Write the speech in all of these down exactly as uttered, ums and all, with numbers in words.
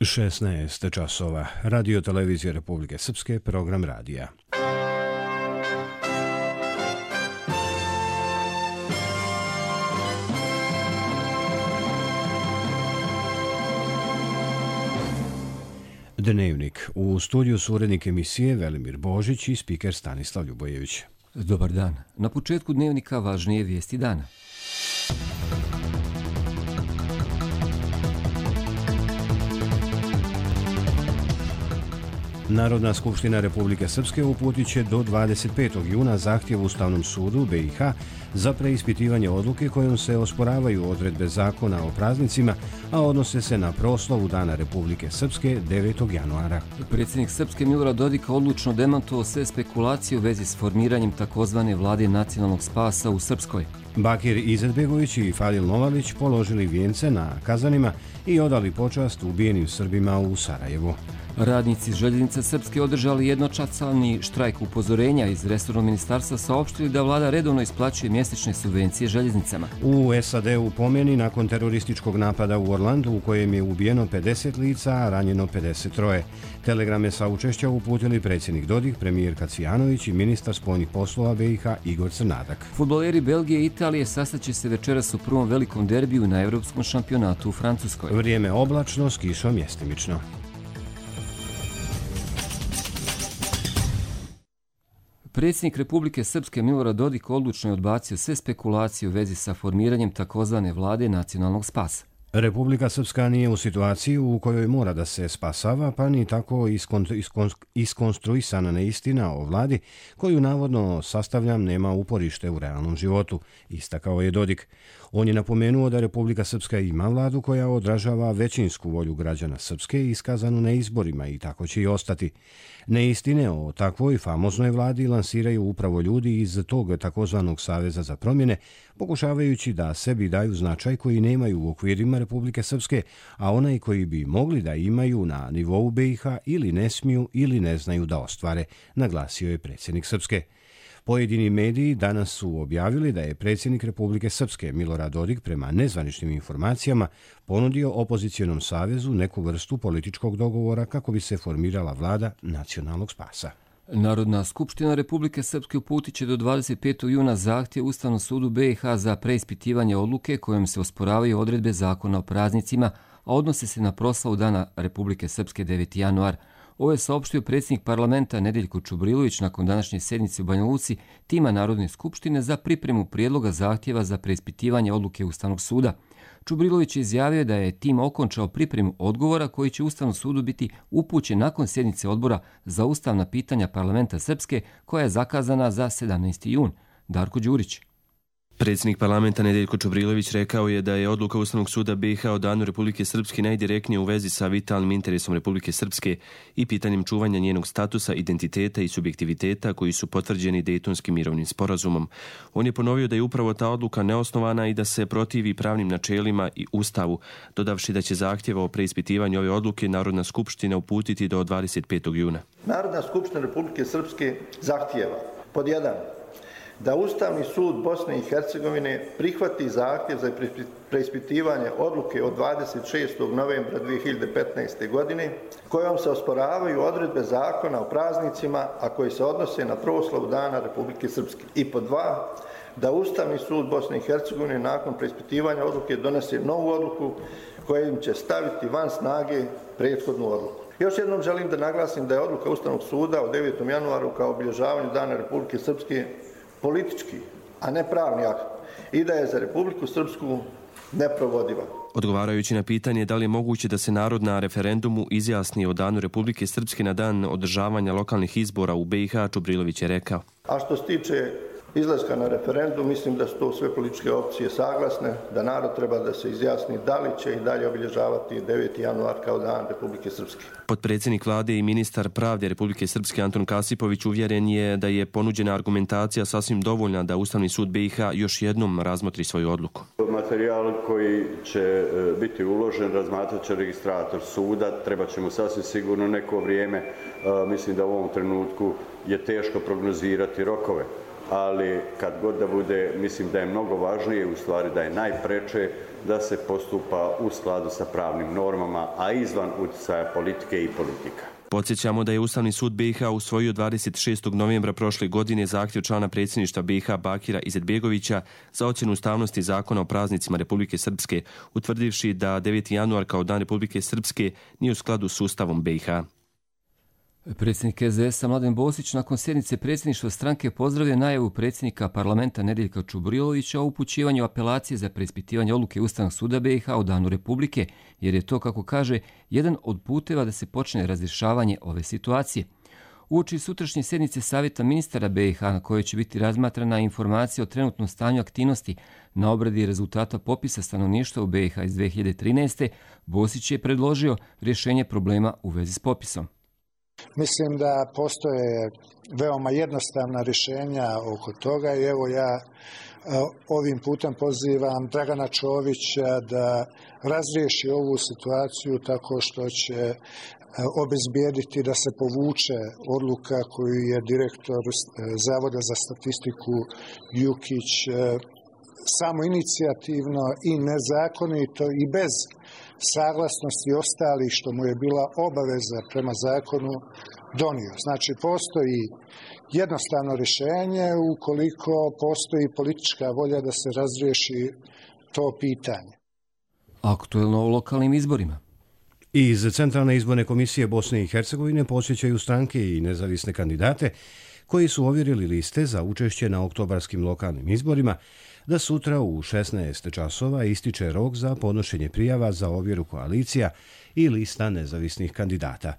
šesnaest časova. Radio televizije Republike Srpske, program radija. Dnevnik. U studiju su urednik emisije Velimir Božić i spiker Stanislav Ljubojević. Dobar dan. Na početku dnevnika važnije vijesti dana. Narodna skupština Republike Srpske uputit će do dvadeset petog juna zahtjev Ustavnom sudu B i H za preispitivanje odluke kojom se osporavaju odredbe zakona o praznicima, a odnose se na proslavu Dana Republike Srpske devetog januara. Predsjednik Srpske Milorad Dodik odlučno demantovao sve spekulacije u vezi s formiranjem takozvane vlade nacionalnog spasa u Srpskoj. Bakir Izetbegović i Fadil Novalić položili vijence na Kazanima i odali počast ubijenim Srbima u Sarajevu. Radnici Željeznice Srpske održali jednočasovni štrajk upozorenja. Iz resornog ministarstva saopštili da vlada redovno isplaćuje mjesečne subvencije željeznicama. U S A D-u pomeni nakon terorističkog napada u Orlandu u kojem je ubijeno pedeset lica, a ranjeno pedeset troje. Telegrame saučešća uputili predsjednik Dodik, premijerka Cvijanović i ministar spoljnih poslova B i H Igor Crnadak. Fudbaleri Belgije i Italije sastaće se večeras u prvom velikom derbiju na Evropskom šampionatu u Francuskoj. Vrijeme oblačno, s kišom mjestimično. Predsjednik Republike Srpske Milorad Dodik odlučno je odbacio sve spekulacije u vezi sa formiranjem takozvane vlade nacionalnog spasa. Republika Srpska nije u situaciji u kojoj mora da se spasava, pa ni tako iskonstruisana neistina o vladi, koju navodno sastavljam nema uporište u realnom životu, istakao je Dodik. On je napomenuo da Republika Srpska ima vladu koja odražava većinsku volju građana Srpske iskazanu na izborima i tako će i ostati. Neistine o takvoj famoznoj vladi lansiraju upravo ljudi iz tog takozvanog Saveza za promjene, pokušavajući da sebi daju značaj koji nemaju u okvirima Republike Srpske, a onaj koji bi mogli da imaju na nivou B i H ili ne smiju ili ne znaju da ostvare, naglasio je predsjednik Srpske. Pojedini mediji danas su objavili da je predsjednik Republike Srpske Milorad Dodik prema nezvaničnim informacijama ponudio opozicijonom savezu neku vrstu političkog dogovora kako bi se formirala vlada nacionalnog spasa. Narodna skupština Republike Srpske uputit će do dvadeset petog juna zahtjev Ustavnom sudu B i H za preispitivanje odluke kojom se osporavaju odredbe zakona o praznicima, a odnose se na proslavu Dana Republike Srpske deveti januar. Ovo je saopštio predsjednik parlamenta Nedeljko Čubrilović nakon današnje sjednice u Banja Luci tima Narodne skupštine za pripremu prijedloga zahtjeva za preispitivanje odluke Ustavnog suda. Čubrilović je izjavio da je tim okončao pripremu odgovora koji će Ustavnom sudu biti upućen nakon sjednice odbora za ustavna pitanja parlamenta Srpske koja je zakazana za sedamnaesti jun. Darko Đurić. Predsjednik parlamenta Nedeljko Čubrilović rekao je da je odluka Ustavnog suda B i H o Danu Republike Srpske najdirektnije u vezi sa vitalnim interesom Republike Srpske i pitanjem čuvanja njenog statusa, identiteta i subjektiviteta koji su potvrđeni Dejtonskim mirovnim sporazumom. On je ponovio da je upravo ta odluka neosnovana i da se protivi pravnim načelima i Ustavu, dodavši da će zahtjeva o preispitivanju ove odluke Narodna skupština uputiti do dvadeset petog juna. Narodna skupština Republike Srpske zahtjeva pod jedan da Ustavni sud Bosne i Hercegovine prihvati zahtjev za preispitivanje odluke od dvadeset šestog novembra dvije hiljade petnaeste. godine kojom se osporavaju odredbe zakona o praznicima, a koji se odnose na proslavu Dana Republike Srpske. I pod dva, da Ustavni sud Bosne i Hercegovine nakon preispitivanja odluke donese novu odluku kojim će staviti van snage prethodnu odluku. Još jednom želim da naglasim da je odluka Ustavnog suda o devetom januaru kao obilježavanju Dana Republike Srpske politički, a ne pravni akt i da je za Republiku Srpsku neprovodiva. Odgovarajući na pitanje da li je moguće da se narod na referendumu izjasni o Danu Republike Srpske na dan održavanja lokalnih izbora u B i H, Čubrilović je rekao. A što se tiče izlaska na referendum, mislim da su to sve političke opcije saglasne, da narod treba da se izjasni da li će i dalje obilježavati deveti januar kao Dan Republike Srpske. Potpredsjednik vlade i ministar pravde Republike Srpske Anton Kasipović uvjeren je da je ponuđena argumentacija sasvim dovoljna da Ustavni sud B i H još jednom razmotri svoju odluku. Materijal koji će biti uložen razmatrat će registrator suda, treba će mu sasvim sigurno neko vrijeme. Mislim da u ovom trenutku je teško prognozirati rokove. ali kad god da bude, mislim da je mnogo važnije, u stvari da je najpreče da se postupa u skladu sa pravnim normama, a izvan utjecaja politike i politika. Podsjećamo da je Ustavni sud B i H usvojio dvadeset šestog novembra prošle godine zahtjev člana predsjedništva B i H Bakira Izetbegovića za ocjenu ustavnosti Zakona o praznicima Republike Srpske, utvrdivši da deveti januar kao Dan Republike Srpske nije u skladu s Ustavom B i H. Predsjednik S D S-a Mladen Bosić nakon sjednice predsjedništva stranke pozdravlja najavu predsjednika parlamenta Nedeljka Čubrilovića o upućivanju apelacije za preispitivanje odluke Ustavnog suda B i H o Danu Republike, jer je to, kako kaže, jedan od puteva da se počne razrješavanje ove situacije. Uoči sutrašnje sjednice Savjeta ministara B i H na kojoj će biti razmatrana informacija o trenutnom stanju aktivnosti na obradi rezultata popisa stanovništva u B i H iz dve hiljade trinaeste. Bosić je predložio rješenje problema u vezi s popisom. Mislim da postoje veoma jednostavna rješenja oko toga i evo ja ovim putem pozivam Dragana Čovića da razriješi ovu situaciju tako što će obezbijediti da se povuče odluka koju je direktor Zavoda za statistiku Jukić samoinicijativno i nezakonito i bez saglasnosti ostalih što mu je bila obaveza prema zakonu donio. Znači, postoji jednostavno rješenje ukoliko postoji politička volja da se razriješi to pitanje. Aktuelno o lokalnim izborima. Iz Centralne izborne komisije Bosne i Hercegovine posjećaju stranke i nezavisne kandidate koji su ovjerili liste za učešće na oktobarskim lokalnim izborima, da sutra u šesnaest časova ističe rok za podnošenje prijava za ovjeru koalicija i lista nezavisnih kandidata.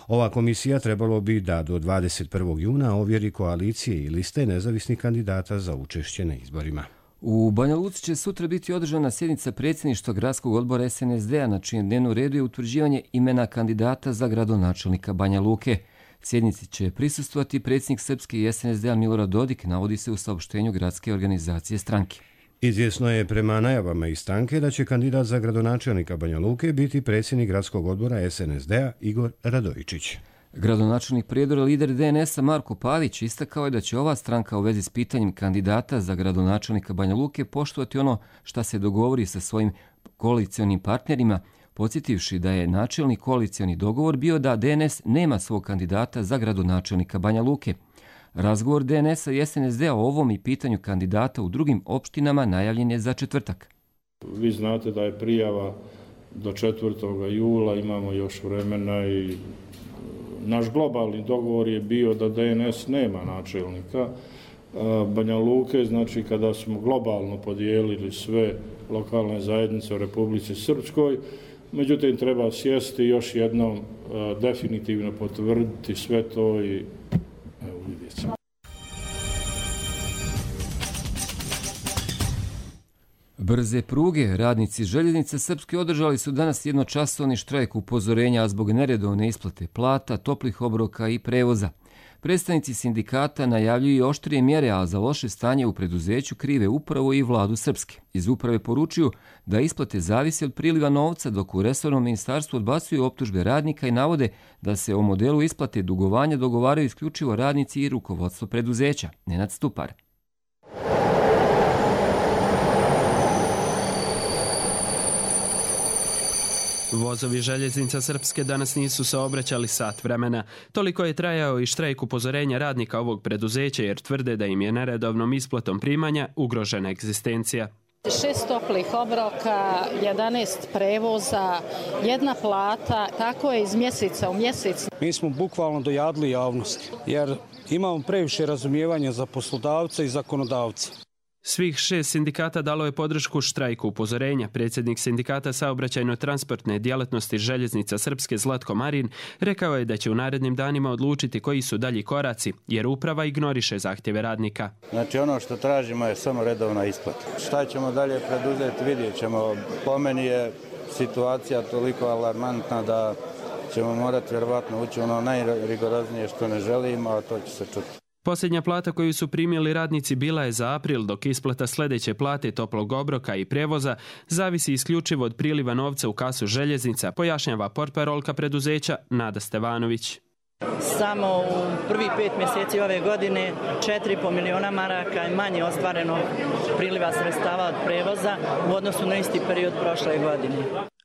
Ova komisija trebalo bi da do dvadeset prvog juna ovjeri koalicije i liste nezavisnih kandidata za učešće na izborima. U Banja Luci će sutra biti održana sjednica predsjedništva gradskog odbora S N S D-a na čijem dnevnom redu je utvrđivanje imena kandidata za gradonačelnika Banja Luke. Sjednici će prisustvovati predsjednik Srpske i S N S D-a Milorad Dodik, navodi se u saopštenju gradske organizacije stranke. Izvjesno je prema najavama iz stranke da će kandidat za gradonačelnika Banja Luke biti predsjednik gradskog odbora S N S D-a Igor Radojičić. Gradonačelnik Prijedora, lider D N S-a Marko Pavić istakao je da će ova stranka u vezi s pitanjem kandidata za gradonačelnika Banja Luke poštovati ono šta se dogovori sa svojim koalicionim partnerima, podsjetivši da je načelni koalicioni dogovor bio da D N S nema svog kandidata za gradonačelnika Banja Luke. Razgovor D N S-a i S N S D-a o ovom i pitanju kandidata u drugim opštinama najavljen je za četvrtak. Vi znate da je prijava do četvrtog jula, imamo još vremena i naš globalni dogovor je bio da D N S nema načelnika Banja Luke, znači kada smo globalno podijelili sve lokalne zajednice u Republici Srpskoj, međutim treba sjesti još jednom definitivno potvrditi sve to i evo vidjet ćemo. Brze pruge, radnici željeznice Srpske održali su danas jednočasovni štrajk upozorenja zbog neredovne isplate plata, toplih obroka i prevoza. Predstavnici sindikata najavljuju oštrije mjere, a za loše stanje u preduzeću krive upravo i vladu Srpske. Iz uprave poručuju da isplate zavisi od priliva novca, dok u resornom ministarstvu odbacuju optužbe radnika i navode da se o modelu isplate dugovanja dogovaraju isključivo radnici i rukovodstvo preduzeća. Nenad Stupar. Vozovi željeznica Srpske danas nisu saobraćali sat vremena. Toliko je trajao i štrajk upozorenja radnika ovog preduzeća jer tvrde da im je neredovnom isplatom primanja ugrožena egzistencija. Šest toplih obroka, jedanaest prevoza, jedna plata, tako je iz mjeseca u mjesec. Mi smo bukvalno dojadili javnost jer imamo previše razumijevanja za poslodavce i zakonodavce. Svih šest sindikata dalo je podršku štrajku upozorenja. Predsjednik sindikata saobraćajno-transportne djelatnosti željeznica Srpske Zlatko Marin rekao je da će u narednim danima odlučiti koji su dalji koraci, jer uprava ignoriše zahtjeve radnika. Znači ono što tražimo je samo redovna isplata. Šta ćemo dalje preduzeti, vidjet ćemo. Po meni je situacija toliko alarmantna da ćemo morati vjerovatno ući ono najrigoroznije što ne želimo, a to će se čuti. Posljednja plata koju su primili radnici bila je za april, dok isplata sljedeće plate toplog obroka i prevoza zavisi isključivo od priliva novca u kasu željeznica, pojašnjava portparolka preduzeća Nada Stevanović. Samo u prvi pet mjeseci ove godine četiri i pol miliona maraka je manje ostvareno priliva sredstava od prevoza u odnosu na isti period prošle godine.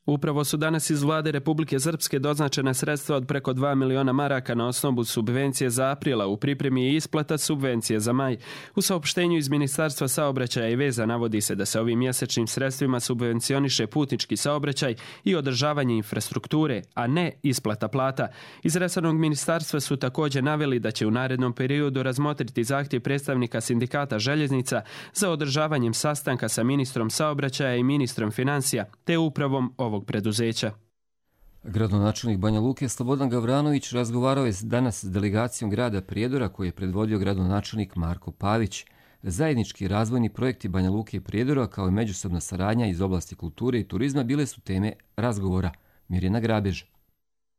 Upravo su danas iz vlade Republike Srpske doznačena sredstva od preko dva miliona maraka na osnovu subvencije za aprila. U pripremi je isplata subvencije za maj. U saopštenju iz Ministarstva saobraćaja i veza navodi se da se ovim mjesečnim sredstvima subvencioniše putnički saobraćaj i održavanje infrastrukture, a ne isplata plata. Iz resornog ministarstva su također naveli da će u narednom periodu razmotriti zahtjev predstavnika sindikata željeznica za održavanjem sastanka sa ministrom saobraćaja i ministrom financija, te upravom ovog preduzeća. Gradonačelnik Banja Luke Slobodan Gavranović razgovarao je danas s delegacijom grada Prijedora koji je predvodio gradonačelnik Marko Pavić. Zajednički razvojni projekti Banja Luke i Prijedora kao i međusobna saradnja iz oblasti kulture i turizma bile su teme razgovora. Mirjana Grabež.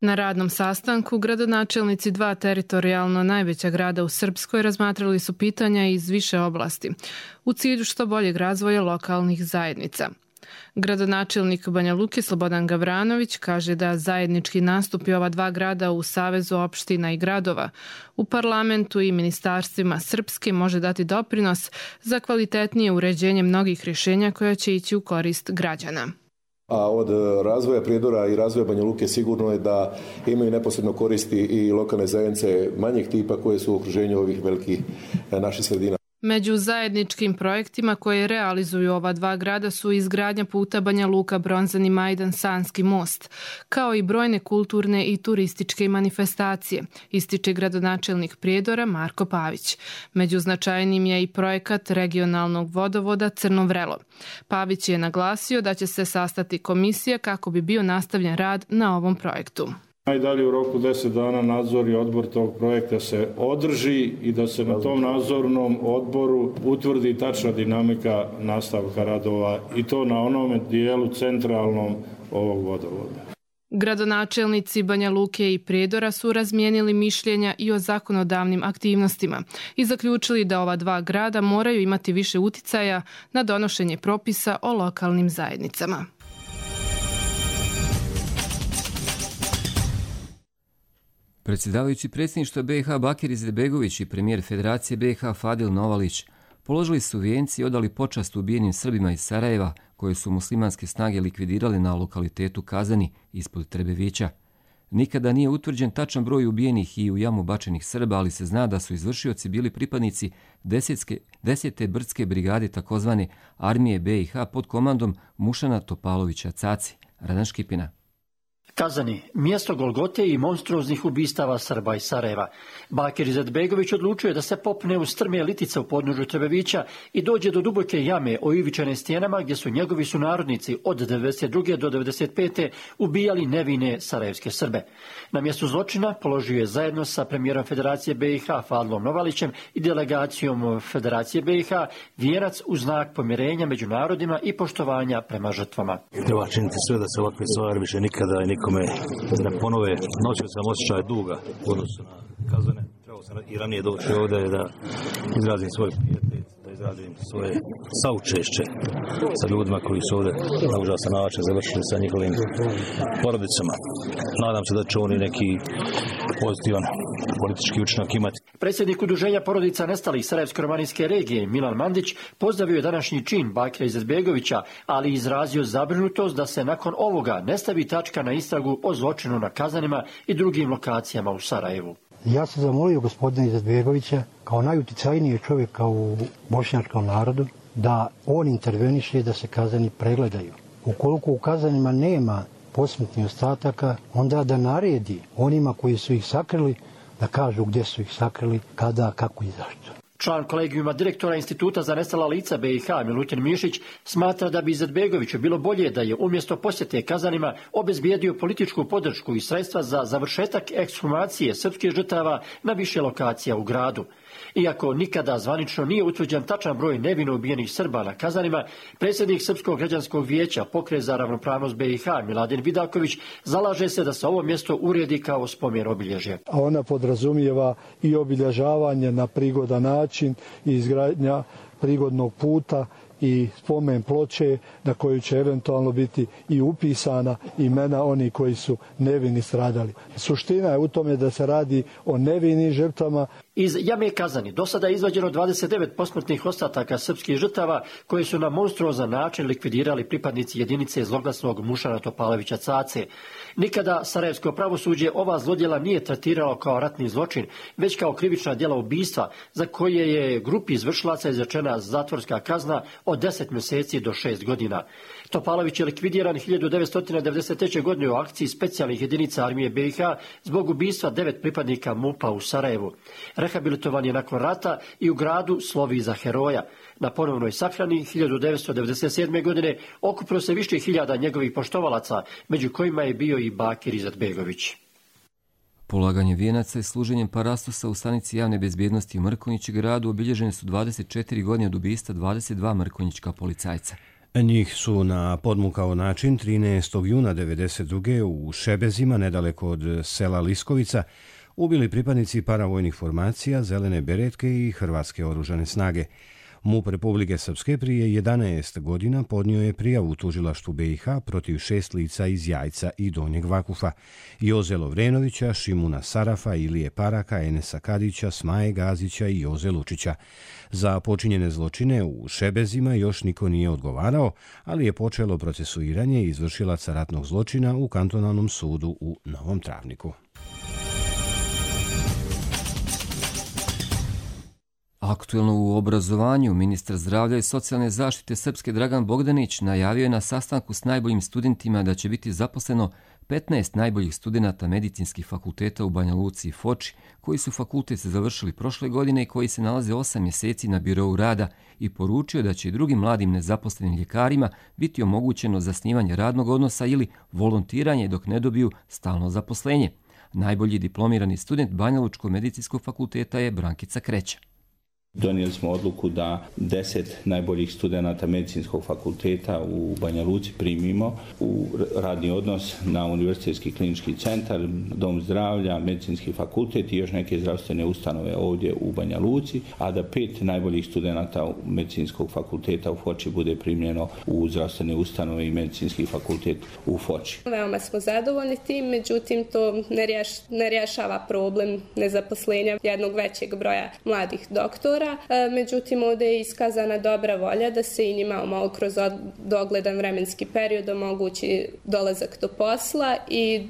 Na radnom sastanku gradonačelnici dva teritorijalno najveća grada u Srpskoj razmatrali su pitanja iz više oblasti u cilju što boljeg razvoja lokalnih zajednica. Gradonačelnik Banja Luke Slobodan Gavranović kaže da zajednički nastupi ova dva grada u Savezu opština i gradova u parlamentu i ministarstvima Srpske može dati doprinos za kvalitetnije uređenje mnogih rješenja koja će ići u korist građana. A od razvoja Prijedora i razvoja Banja Luke sigurno je da imaju neposredno koristi i lokalne zajednice manjeg tipa koje su u okruženju ovih velikih naših sredina. Među zajedničkim projektima koje realizuju ova dva grada su izgradnja puta Banja Luka Bronzani Majdan Sanski most, kao i brojne kulturne i turističke manifestacije, ističe gradonačelnik Prijedora Marko Pavić. Među značajnim je i projekat regionalnog vodovoda Crno Vrelo. Pavić je naglasio da će se sastati komisija kako bi bio nastavljen rad na ovom projektu. Najdalje u roku deset dana nadzorni odbor tog projekta se održi i da se na tom nadzornom odboru utvrdi tačna dinamika nastavka radova i to na onome dijelu centralnom ovog vodovoda. Gradonačelnici Banja Luke i Prijedora su razmijenili mišljenja i o zakonodavnim aktivnostima i zaključili da ova dva grada moraju imati više uticaja na donošenje propisa o lokalnim zajednicama. Predsjedavajući predsjedništva B i H Bakir Izetbegović i premijer Federacije B i H Fadil Novalić položili su vijenci i odali počast ubijenim Srbima iz Sarajeva koje su muslimanske snage likvidirale na lokalitetu Kazani ispod Trebevića. Nikada nije utvrđen tačan broj ubijenih i u jamu bačenih Srba, ali se zna da su izvršioci bili pripadnici desetske, desete brdske brigade takozvane armije B i H pod komandom Mušana Topalovića Caci. Radan Škipina. Kazani, mjesto Golgote i monstruoznih ubistava Srba iz Sarajeva. Bakir Izetbegović odlučio je da se popne u strme litice u podnožju Trebevića i dođe do duboke jame oivičene stijenama gdje su njegovi sunarodnici od devedeset druge do devedeset pete ubijali nevine sarajevske Srbe. Na mjestu zločina položio je zajedno sa premijerom Federacije B i H Fadlom Novalićem i delegacijom Federacije B i H vijenac u znak pomirenja među narodima i poštovanja prema žrtvama. Treba činiti sve da se ovakve stvari više nikada i nikome ne ponove. Nosio sam osjećaj duga u odnosu na Kazane. Trebao sam i ranije doći ovdje da izrazim svoj pijetet, da izrazim svoje saučešće sa ljudima koji su ovdje na užasan način završili sa njihovim porodicama. Nadam se da će oni neki pozitivan politički učinak imati. Predsjednik Udruženja porodica nestalih Sarajevsko-romanijske regije Milan Mandić pozdravio je današnji čin Bakira Izetbegovića, ali izrazio zabrinutost da se nakon ovoga ne stavi tačka na istragu o zločinu na Kazanima i drugim lokacijama u Sarajevu. Ja sam zamolio gospodina Izetbegovića kao najuticajniji čovjeka u bošnjačkom narodu da on interveniše da se Kazani pregledaju. Ukoliko u Kazanima nema posmrtnih ostataka, onda da naredi onima koji su ih sakrili da kažu gdje su ih sakrili, kada, kako i zašto. Član kolegijuma direktora Instituta za nestala lica B i H Milutin Mišić smatra da bi Izetbegoviću bilo bolje da je umjesto posjete Kazanima obezbijedio političku podršku i sredstva za završetak ekshumacije srpskih žrtava na više lokacija u gradu. Iako nikada zvanično nije utvrđen tačan broj nevino ubijenih Srba na Kazanima, predsjednik Srpskog građanskog vijeća Pokret za ravnopravnost B i H Miladin Vidaković zalaže se da se ovo mjesto uredi kao spomen obilježje. Ona podrazumijeva i obilježavanje na prigodan način i izgradnja prigodnog puta i spomen ploče na koju će eventualno biti i upisana imena oni koji su nevini stradali. Suština je u tome da se radi o nevinim žrtvama. Iz jame Kazani do sada je izvađeno dvadeset devet posmrtnih ostataka srpskih žrtava koje su na monstruozan način likvidirali pripadnici jedinice zloglasnog Mušara Topalovića Cace. Nikada sarajevsko pravosuđe ova zlodjela nije tretiralo kao ratni zločin, već kao krivična djela ubistva za koje je grupi izvršilaca izrečena zatvorska kazna od deset mjeseci do šest godina. Topalović je likvidiran hiljadu devetsto devedeset treće. godine u akciji specijalnih jedinica armije B i H zbog ubistva devet pripadnika MUP-a u Sarajevu. Rehabilitovan je nakon rata i u gradu slovi za heroja. Na ponovnoj sahrani hiljadu devetsto devedeset sedme. godine okupilo se više hiljada njegovih poštovalaca, među kojima je bio i Bakir Izetbegović. Polaganje vijenaca i služenjem parastosa u stanici javne bezbjednosti u Mrkonjić gradu obilježene su dvadeset četiri godine od ubistva dvadeset dva mrkonjićka policajca. Njih su na podmukao način trinaestog juna devedeset druge. u Šebezima, nedaleko od sela Liskovica, ubili pripadnici paravojnih formacija, Zelene beretke i Hrvatske oružane snage. MUP Republike Srpske prije jedanaest godina podnio je prijavu u tužilaštvu B i H protiv šest lica iz Jajca i Donjeg Vakufa: Joze Lovrenovića, Šimuna Sarafa, Ilije Paraka, Enesa Kadića, Smaje Gazića i Joze Lučića. Za počinjene zločine u Šebezima još niko nije odgovarao, ali je počelo procesuiranje izvršilaca ratnog zločina u kantonalnom sudu u Novom Travniku. Aktuelno u obrazovanju, ministar zdravlja i socijalne zaštite Srpske Dragan Bogdanić najavio je na sastanku s najboljim studentima da će biti zaposleno petnaest najboljih studenata medicinskih fakulteta u Banja Luci i Foči, koji su fakultet završili prošle godine i koji se nalaze osam mjeseci na birou rada, i poručio da će i drugim mladim nezaposlenim ljekarima biti omogućeno zasnivanje radnog odnosa ili volontiranje dok ne dobiju stalno zaposlenje. Najbolji diplomirani student Banja Lučkog medicinskog fakulteta je Brankica Kreća. Donijeli smo odluku da deset najboljih studenata medicinskog fakulteta u Banja Luci primimo u radni odnos na Univerzitetski klinički centar, Dom zdravlja, medicinski fakultet i još neke zdravstvene ustanove ovdje u Banja Luci, a da pet najboljih studenata medicinskog fakulteta u Foči bude primljeno u zdravstvene ustanove i medicinski fakultet u Foči. Veoma smo zadovoljni tim, međutim to ne, rješ, ne rješava problem nezaposlenja jednog većeg broja mladih doktora. Međutim, ovdje je iskazana dobra volja da se i njima malo kroz dogledan vremenski period omogući dolazak do posla i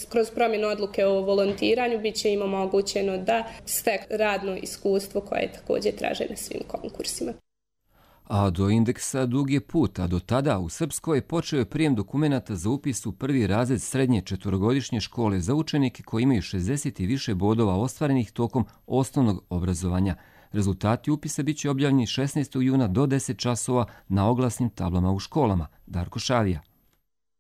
kroz promjenu odluke o volontiranju bit će im omogućeno da steknu radno iskustvo koje je također traže na svim konkursima. A do indeksa dug je put, a do tada u Srpskoj počeo je prijem dokumenata za upis u prvi razred srednje četvorogodišnje škole za učenike koji imaju šezdeset i više bodova ostvarenih tokom osnovnog obrazovanja. Rezultati upisa bit će objavljeni šesnaestog juna do deset časova na oglasnim tablama u školama. Darko Šavija.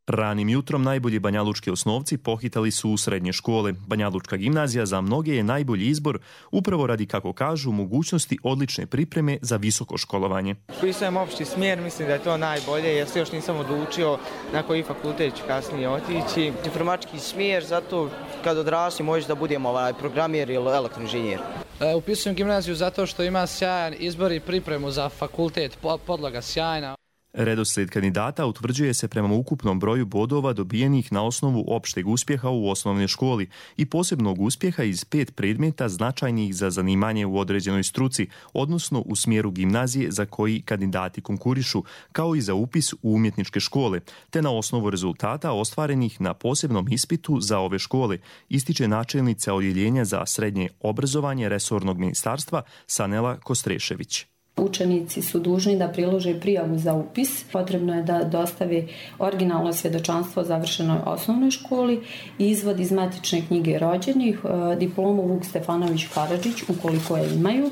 Ranim jutrom najbolji banjalučki osnovci pohitali su u srednje škole. Banjalučka gimnazija za mnoge je najbolji izbor upravo radi, kako kažu, mogućnosti odlične pripreme za visoko školovanje. Upisujem opšti smjer, mislim da je to najbolje jer se još nisam odlučio na koji fakultet ću kasnije otići. Informatički smjer, zato kad odrastim možeš da budem ovaj programjer ili elektroinženjer. E, upisujem gimnaziju zato što ima sjajan izbor i pripremu za fakultet, podloga sjajna. Redoslijed kandidata utvrđuje se prema ukupnom broju bodova dobijenih na osnovu opšteg uspjeha u osnovnoj školi i posebnog uspjeha iz pet predmeta značajnih za zanimanje u određenoj struci, odnosno u smjeru gimnazije za koji kandidati konkurišu, kao i za upis u umjetničke škole, te na osnovu rezultata ostvarenih na posebnom ispitu za ove škole, ističe načelnica odjeljenja za srednje obrazovanje resornog ministarstva Sanela Kostrešević. Učenici su dužni da prilože prijavu za upis. Potrebno je da dostave originalno svjedočanstvo o završenoj osnovnoj školi, izvod iz matične knjige rođenih, diplomu Vuk Stefanović Karadžić ukoliko je imaju,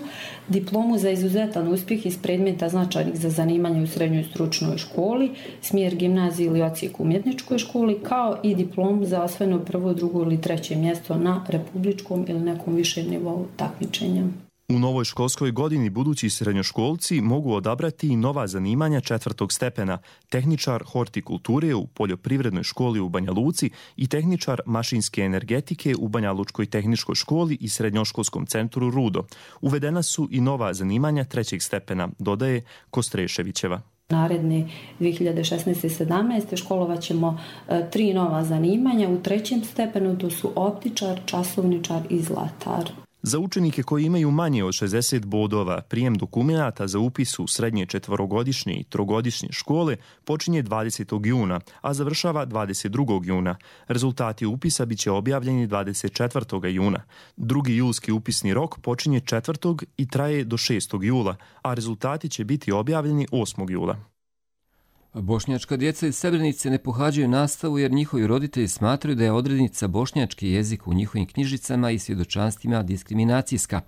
diplomu za izuzetan uspjeh iz predmeta značajnih za zanimanje u srednjoj stručnoj školi, smjer gimnaziji ili odsjek u umjetničkoj školi, kao i diplomu za osvojeno prvo, drugo ili treće mjesto na republičkom ili nekom višem nivou takmičenja. U novoj školskoj godini budući srednjoškolci mogu odabrati i nova zanimanja četvrtog stepena, tehničar hortikulture u poljoprivrednoj školi u Banja Luci i tehničar mašinske energetike u Banja Lučkoj tehničkoj školi i srednjoškolskom centru Rudo. Uvedena su i nova zanimanja trećeg stepena, dodaje Kostreševićeva. Naredne dvije hiljade šesnaeste i sedamnaeste školovat ćemo e, tri nova zanimanja. U trećem stepenu to su optičar, časovničar i zlatar. Za učenike koji imaju manje od šezdeset bodova, prijem dokumenata za upis u srednje četvorogodišnje i trogodišnje škole počinje dvadesetog juna, a završava dvadeset drugog juna. Rezultati upisa biće objavljeni dvadeset četvrtog juna. Drugi julski upisni rok počinje četvrtog i traje do šestog jula, a rezultati će biti objavljeni osmog jula. Bošnjačka djeca iz Srebrenice ne pohađaju nastavu jer njihovi roditelji smatraju da je odrednica bošnjački jezik u njihovim knjižicama i svjedočanstvima diskriminacijska.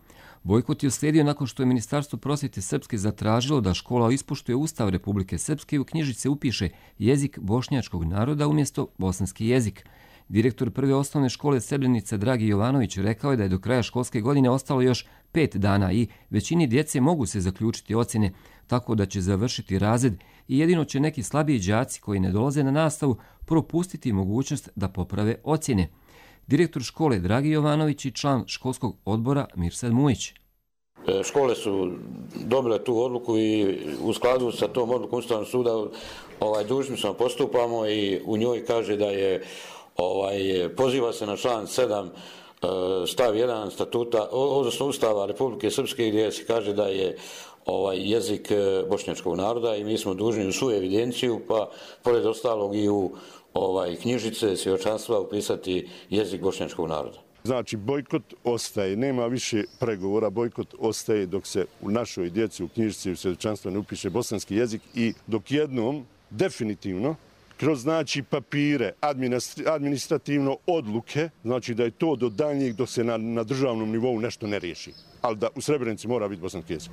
Bojkot je uslijedio nakon što je Ministarstvo prosvjete Srpske zatražilo da škola ispoštuje Ustav Republike Srpske i u knjižice upiše jezik bošnjačkog naroda umjesto bosanski jezik. Direktor prve osnovne škole Srebrenica Dragi Jovanović rekao je da je do kraja školske godine ostalo još pet dana i većini djece mogu se zaključiti ocjene, tako da će završiti razred i jedino će neki slabiji đaci koji ne dolaze na nastavu propustiti mogućnost da poprave ocjene. Direktor škole Dragi Jovanović i član školskog odbora Mirsad Mujić. Škole su dobile tu odluku i u skladu sa tom odlukom Ustavnog suda ovaj, dužni smo postupamo i u njoj kaže da je ovaj, poziva se na član sedam stav jedan statuta, odnosno Ustava Republike Srpske gdje se kaže da je ovaj jezik bošnjačkog naroda i mi smo dužni u svu evidenciju, pa pored ostalog i u ovaj knjižice svjedočanstva upisati jezik bošnjačkog naroda. Znači, bojkot ostaje, nema više pregovora, bojkot ostaje dok se u našoj djeci u knjižici u svjedočanstva ne upiše bosanski jezik i dok jednom definitivno kroz znači papire, administrativno odluke, znači da je to do daljnjeg dok se na, na državnom nivou nešto ne riješi. Ali da u Srebrenici mora biti bosanski jezik.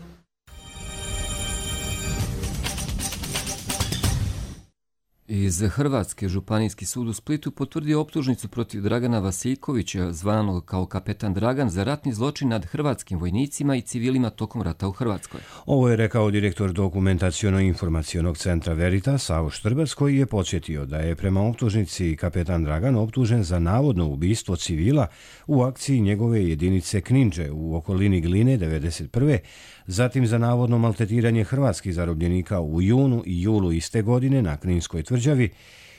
Iz Hrvatske Županijski sud u Splitu potvrdio optužnicu protiv Dragana Vasiljkovića, zvanog kao kapetan Dragan, za ratni zločin nad hrvatskim vojnicima i civilima tokom rata u Hrvatskoj. Ovo je rekao direktor dokumentaciono-informacionog centra Veritas, Savo Štrbac, koji je podsjetio da je prema optužnici kapetan Dragan optužen za navodno ubistvo civila u akciji njegove jedinice Kninđe u okolini Gline devedeset prve, zatim za navodno maltretiranje hrvatskih zarobljenika u junu i julu iste godine na Kninskoj tvrđavi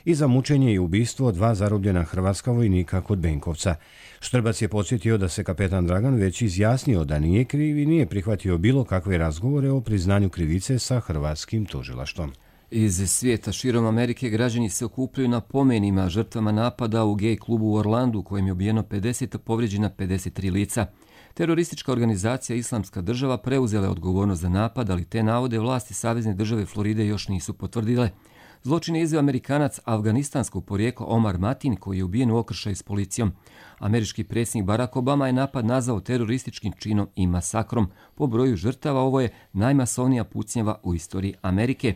i za mučenje i ubistvo dva zarobljena hrvatska vojnika kod Benkovca. Štrbac je podsjetio da se kapetan Dragan već izjasnio da nije kriv i nije prihvatio bilo kakve razgovore o priznanju krivice sa hrvatskim tužilaštvom. Iz svijeta širom Amerike građani se okupljaju na pomenima žrtvama napada u gej klubu u Orlandu, u kojem je ubijeno pedeset, a povrijeđena pedeset tri lica. Teroristička organizacija Islamska država preuzela je odgovornost za napad, ali te navode vlasti Savezne države Floride još nisu potvrdile. Zločin je izveo Amerikanac afganistanskog porijekla Omar Matin, koji je ubijen u okršaju s policijom. Američki predsjednik Barack Obama je napad nazvao terorističkim činom i masakrom. Po broju žrtava ovo je najmasovnija pucnjava u istoriji Amerike.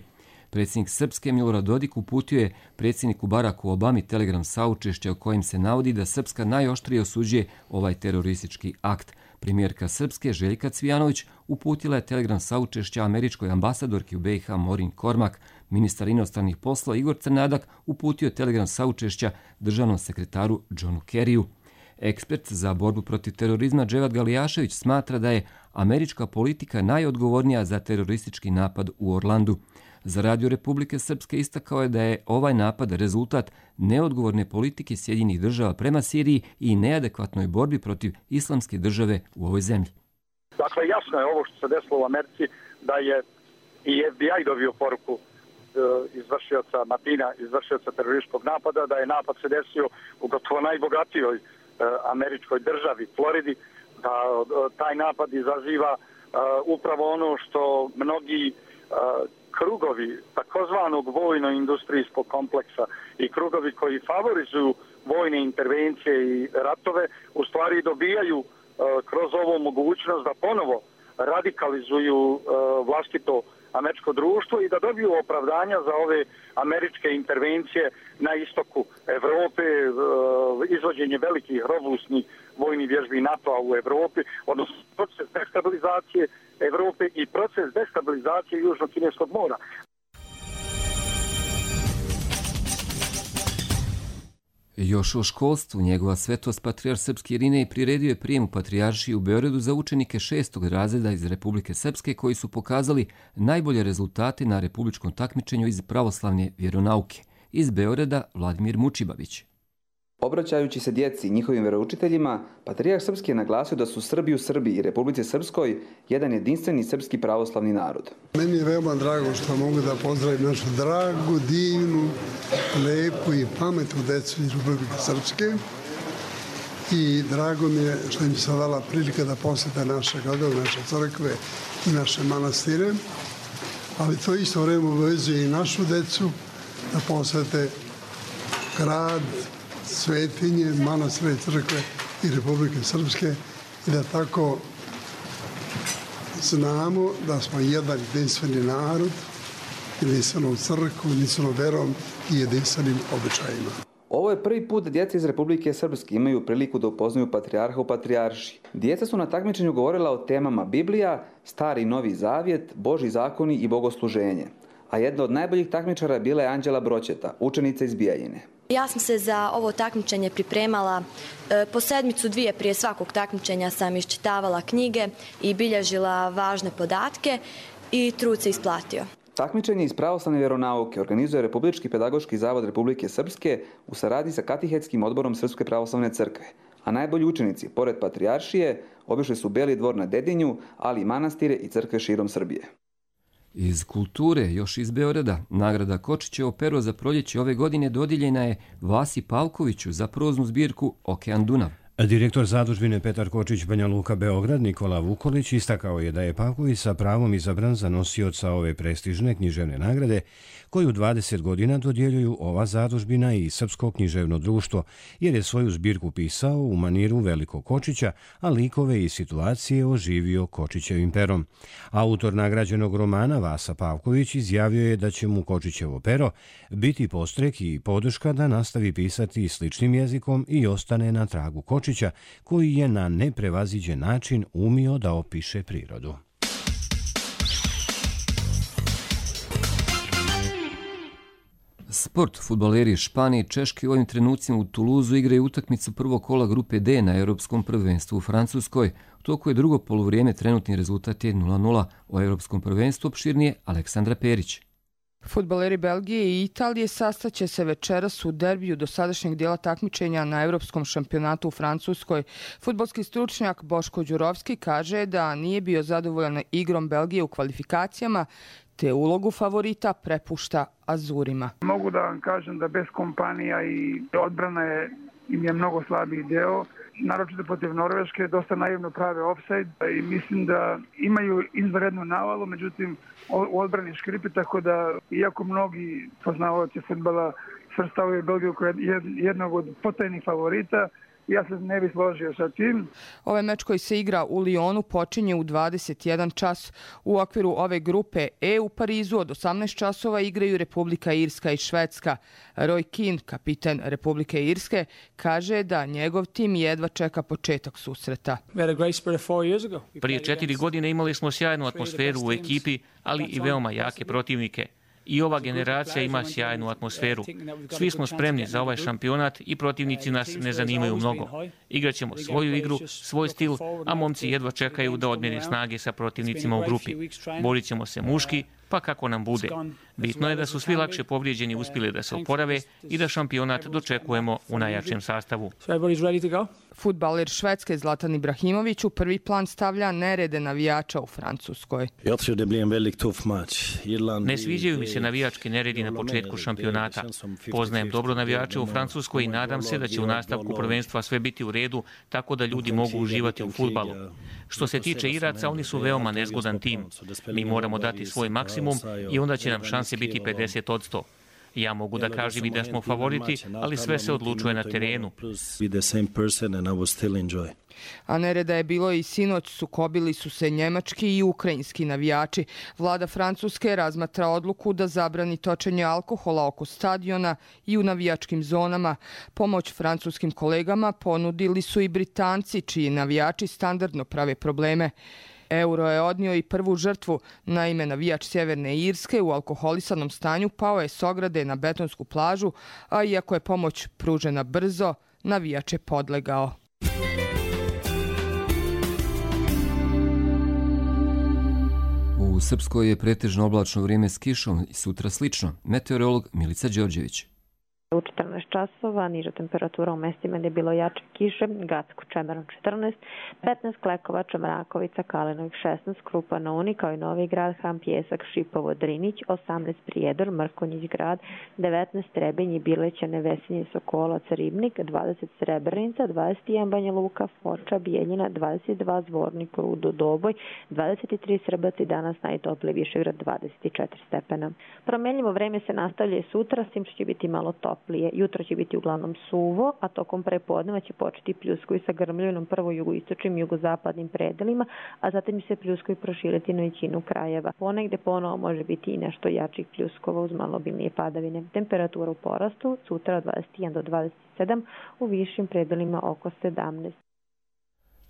Predsjednik Srpske Milorad Dodik uputio je predsjedniku Baracku Obami telegram saučešća u kojem se navodi da Srpska najoštrije osuđuje ovaj teroristički akt. Premijerka Srpske Željka Cvijanović uputila je telegram saučešća američkoj ambasadorki u B i H Morin Kormak. Ministar inostranih poslova Igor Crnadak uputio je telegram saučešća državnom sekretaru Johnu Kerryu. Ekspert za borbu protiv terorizma Dževad Galijašević smatra da je američka politika najodgovornija za teroristički napad u Orlandu. Za Radio Republike Srpske istakao je da je ovaj napad rezultat neodgovorne politike Sjedinjenih država prema Siriji i neadekvatnoj borbi protiv islamske države u ovoj zemlji. Dakle, jasno je ovo što se desilo u Americi, da je i F B I dobio poruku izvršioca Matina, izvršioca terorističkog napada, da je napad se desio u gotovo najbogatijoj američkoj državi, Floridi, da taj napad izaziva upravo ono što mnogi krugovi takozvanog vojno-industrijskog kompleksa i krugovi koji favorizuju vojne intervencije i ratove u stvari dobijaju kroz ovu mogućnost da ponovo radikalizuju vlastito američko društvo i da dobiju opravdanja za ove američke intervencije na istoku Evrope, izvođenje velikih robustnih vojnih vježbi NATO-a u Evropi, odnosno proces destabilizacije Evrope i proces destabilizacije Južno-Kineskog mora. Još o školstvu, njegova svetost patrijarh Srpski Irinej priredio je prijem u patrijaršiji u Beogradu za učenike šestog razreda iz Republike Srpske koji su pokazali najbolje rezultate na republičkom takmičenju iz pravoslavne vjeronauke. Iz Beograda Vladimir Mučibavić. Obraćajući se djeci i njihovim veroučiteljima, patrijarh Srpski je naglasio da su Srbi u Srbiji i Republici Srpskoj jedan jedinstveni srpski pravoslavni narod. Meni je veoma drago što mogu da pozdravim našu dragu, divnu, lepu i pametnu decu iz Republike Srpske. I drago mi je što im se dala prilika da posjete naše gradove, naše crkve i naše manastire. Ali to isto vreme obavezuje i našu decu da posjete grad, svetinje, manastire, crkve i Republike Srpske i da tako znamo da smo jedan jedinstveni narod, jedinstvenom crkvom, jedinstvenom verom i jedinstvenim običajima. Ovo je prvi put da djeca iz Republike Srpske imaju priliku da upoznaju patrijarha u patrijaršiji. Djeca su na takmičenju govorila o temama Biblija, Stari i Novi Zavjet, Božji zakoni i bogosluženje. A jedna od najboljih takmičara bila je Anđela Broćeta, učenica iz Bijeljine. Ja sam se za ovo takmičenje pripremala po sedmicu dvije prije svakog takmičenja sam iščitavala knjige i bilježila važne podatke i trud se isplatio. Takmičenje iz pravoslavne vjeronauke organizuje Republički pedagoški zavod Republike Srpske u saradnji sa Katihetskim odborom Srpske pravoslavne crkve. A najbolji učenici, pored patrijaršije, obišli su Beli dvor na Dedinju, ali i manastire i crkve širom Srbije. Iz kulture, još iz Beograda, nagrada Kočićevo pero za proljeće ove godine dodijeljena je Vasi Pavkoviću za proznu zbirku Okean Dunav. Direktor zadužbine Petar Kočić Banja Luka Beograd Nikola Vukolić istakao je da je Pavković sa pravom izabran za nosioca ove prestižne književne nagrade koju dvadeset godina dodjeljuju ova zadužbina i Srpsko književno društvo, jer je svoju zbirku pisao u maniru Velikog Kočića, a likove i situacije oživio Kočićevim perom. Autor nagrađenog romana Vasa Pavković izjavio je da će mu Kočićevo pero biti postrek i podrška da nastavi pisati sličnim jezikom i ostane na tragu Kočića, koji je na neprevaziđen način umio da opiše prirodu. Sport. Fudbaleri Španije i Češke u ovim trenucima u Tuluzu igraju utakmicu prvog kola grupe D na Europskom prvenstvu u Francuskoj. U toku je drugo poluvrijeme, trenutni rezultat je nula nula. O Europskom prvenstvu opširnije Aleksandra Perić. Fudbaleri Belgije i Italije sastaće se večeras u derbiju dosadašnjeg dijela takmičenja na Europskom šampionatu u Francuskoj. Fudbalski stručnjak Boško Đurovski kaže da nije bio zadovoljan igrom Belgije u kvalifikacijama, te ulogu favorita prepušta Azurima. Mogu da vam kažem da bez kompanija i odbrana je, im je mnogo slabiji deo. Naročito protiv Norveške, dosta naivno prave ofsajd i mislim da imaju izvanrednu navalu, međutim u odbrani škripi, tako da iako mnogi poznavaoci fudbala svrstavaju Belgiju kao jednog od potajnih favorita, ja se ne bih složio sa tim. Ovaj meč koji se igra u Lyonu počinje u dvadeset jedan čas. U okviru ove grupe E u Parizu od osamnaest časova igraju Republika Irska i Švedska. Roy Keane, kapiten Republike Irske, kaže da njegov tim jedva čeka početak susreta. Prije četiri godine imali smo sjajnu atmosferu u ekipi, ali i veoma jake protivnike. I ova generacija ima sjajnu atmosferu. Svi smo spremni za ovaj šampionat i protivnici nas ne zanimaju mnogo. Igraćemo svoju igru, svoj stil, a momci jedva čekaju da odmjere snage sa protivnicima u grupi. Borit ćemo se muški, pa kako nam bude. Bitno je da su svi lakše povrijeđeni uspjeli da se oporave i da šampionat dočekujemo u najjačem sastavu. Fudbaler Švedske Zlatan Ibrahimović u prvi plan stavlja nerede navijača u Francuskoj. Ne sviđaju mi se navijački neredi na početku šampionata. Poznajem dobro navijače u Francuskoj i nadam se da će u nastavku prvenstva sve biti u redu, tako da ljudi mogu uživati u fudbalu. Što se tiče Iraca, oni su veoma nezgodan tim. Mi moramo dati svoj maksimum i onda će nam šanse biti pedeset odsto. Ja mogu da kažem i da smo favoriti, ali sve se odlučuje na terenu. A nereda je bilo i sinoć, sukobili su se njemački i ukrajinski navijači. Vlada Francuske razmatra odluku da zabrani točenje alkohola oko stadiona i u navijačkim zonama. Pomoć francuskim kolegama ponudili su i Britanci, čiji navijači standardno prave probleme. Euro je odnio i prvu žrtvu. Naime, navijač Sjeverne Irske u alkoholisanom stanju pao je s ograde na betonsku plažu, a iako je pomoć pružena brzo, navijač je podlegao. U Srpskoj je pretežno oblačno vrijeme s kišom i sutra slično. Meteorolog Milica Đorđević. U četrnaest časova niža temperatura u mestima gdje je bilo jače kiše, Gacko, Čemeran četrnaest, petnaest Klekovača, Mrakovica, Kalinovik šesnaest, Krupa na Uni, kao i Novi Grad, Ham, Pjesak, Šipovo, Drinić, osamnaest Prijedor, Mrkonjić grad, devetnaest Trebinj, Bileća, Nevesinje, Sokolac, Ribnik, dvadeset Srebrenica, dvadeset jedan Banja Luka, Foča, Bijeljina, dvadeset dva Zvornik, Rudo, Doboj, dvadeset tri Srbac i danas najtopliji Višegrad dvadeset četiri stepena. Promjenljivo vreme se nastavlja i sutra, s tim što će biti malo toplije. Jutro će biti uglavnom suvo, a tokom prepodneva će početi pljuskovi sa grmljavinom prvo jugoistočnim i jugozapadnim predelima, a zatim će se pljuskovi proširiti na većinu krajeva. Ponegde ponovo može biti i nešto jačih pljuskova uz malo obilnije padavine. Temperatura u porastu, sutra od dvadeset jedan do dvadeset sedam, u višim predelima oko sedamnaest.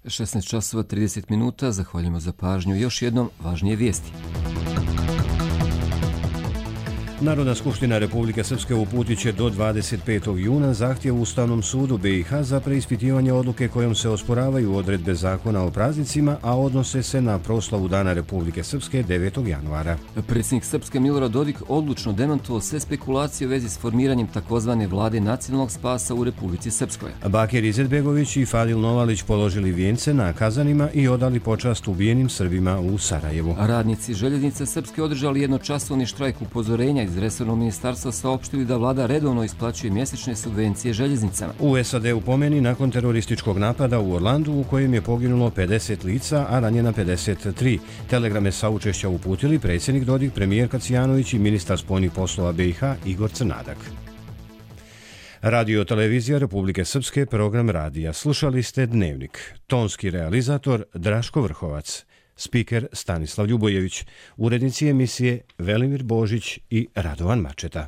šesnaest časova trideset minuta, zahvaljujemo za pažnju. Još jednom važnije vijesti. Narodna skupština Republike Srpske uputit će do dvadeset petog juna zahtjev Ustavnom sudu B i H za preispitivanje odluke kojom se osporavaju odredbe zakona o praznicima, a odnose se na proslavu Dana Republike Srpske devetog januara. Predsjednik Srpske Milorad Dodik odlučno demantovao sve spekulacije u vezi s formiranjem takozvane vlade nacionalnog spasa u Republici Srpskoj. Bakir Izetbegović i Fadil Novalić položili vijence na Kazanima i odali počast ubijenim Srbima u Sarajevu. Radnici Željeznice Srpske održali jednočasovni štrajk upozorenja iz resornog ministarstva, saopštili da vlada redovno isplaćuje mjesečne subvencije željeznicama. U S A D-u pomeni nakon terorističkog napada u Orlandu u kojem je poginulo pedeset lica, a ranjena pedeset tri. Telegrame saučešća uputili predsjednik Dodik, premijer Kacijanović i ministar spoljnih poslova B i H Igor Crnadak. Radio televizija Republike Srpske, program radija. Slušali ste Dnevnik. Tonski realizator Draško Vrhovac. Spiker Stanislav Ljubojević, urednici emisije Velimir Božić i Radovan Mačeta.